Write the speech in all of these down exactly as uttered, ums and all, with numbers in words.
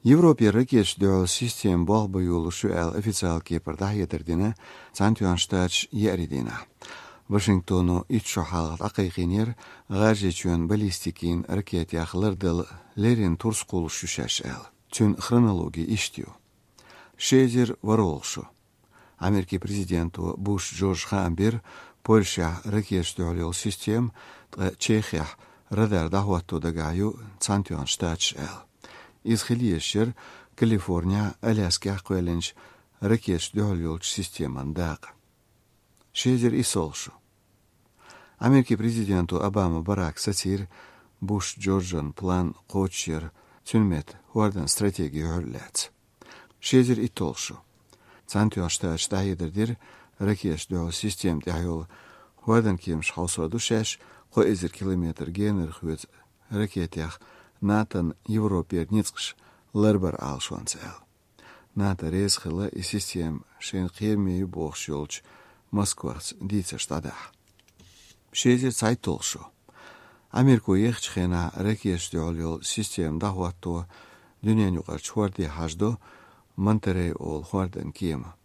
Европе ракеташ дуьхьал система болх бан йолуш ю аьлла официалан кепара дӀахьедар дина Цхьаьнатоьхначу Штаташа еарин дийнахь. Вашингтоно итт шо хьалха дӀакхайкхийнера, ГӀажарийчоьнан баллистикин ракетех лардала леррина турс кхуллуш ю шаьш аьлла. Цуьнан хронологи иштта ю. Ши эзар ворхӀалгӀа шо. Америкин президенто Буш Джорджа хаам бира, Польшехь ракеташ дуьхьал йолу система, ткъа Чехехь радар дӀахӀотто дагахь ю Цхьаьнатоьхначу Штаташа аьлла. Иза хила езаш яра Калифорнехь, Аляскехь кхоьллинчу ракеташ дуьхьал йолчу системан дакъа. Ши эзар иссалгӀа шо. Америкин президенто Обама Барака сацийра Буш Джорджан план кхочушъяр, цуьнан метта хӀордан стратеги юьхьар лаьцна. Ши эзар итталгӀа шо. Цхьаьнатоьхначу Штаташа дӀахьедар дира, ракеташ дуьхьал система тӀехь йолу хӀордан кеманаш хьовсор ду шаьш, кхо эзар километр генара хоьцу ракетех НАТОн Европера ницкъаш ларбар Ӏалашонца аьлла. НАТО реза хилла и система шайна кхераме ю бохуш йолчу Москвахца дийцарш дӀадахьа. Ши эзар цхьайтталгӀа шо. Америко ехачу хенахь ракеташ дуьхьал йолу система дӀахӀотто дуьненаюкъарчу хӀорде хьажадо Монтеррей олу хӀордан кема.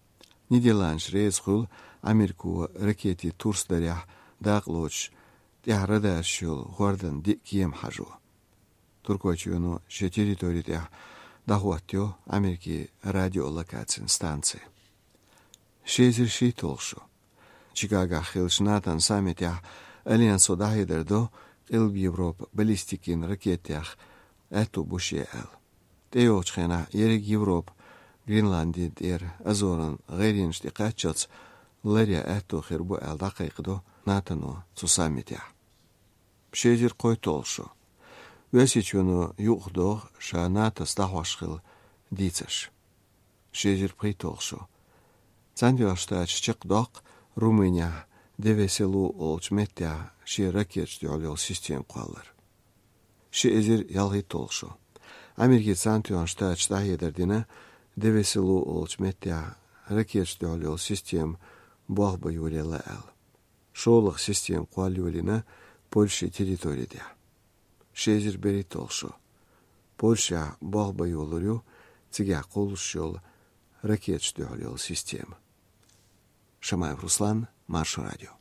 Нидерландаш реза хуьлу Америко ракетийн турс дарехь дакъа лоцуш тӀехь радарш йолу хӀордан диъ кема хьажо. Туркойчоьно шен территори тӀехь дӀахӀоттайо Америкин радиолокацин станци. Ши эзар шийтталгӀа шо. Чикагохь хиллачу НАТОн саммитехь Альянсо дӀахьедар до Къилба Европа баллистикин ракетех аьтто бу шен аьлла. ТӀейогӀучу хенахь ерриг Европа Гренландин тӀера Азоран гӀайренаш тӀе кхаччалц ларъян аьтто хир бу аьлла дӀакхайкхадо НАТОно цу саммитехь. Ши эзар кхойтталгӀа шо. Оьрсийчоьно юкъахдоху ша НАТОс дӀахьош хилла дийцарш. Ши эзар пхийтталгӀа шо. Цхьаьнатоьхначу Штаташа чекхдоккху Румынехь Девеселу олучу меттехь шен ракеташ дуьхьал йолу система кхоллар. Ши эзар ялхийтталгӀа шо. Америкин Цхьаьнатоьхначу Штаташа дӀахьедар дина, Девеселу олучу меттехь ракеташ дуьхьал йолу система болх бан йолаелла аьлла. ШолгӀа система кхолла йолийна Польшин территори тӀехь. Ши эзар берхӀитталгӀа шо. Польшехь болх бан йолур ю цигахь кхуллуш йолу ракеташ дуьхьал йолу система. Шамаев Руслан, Маршо радио.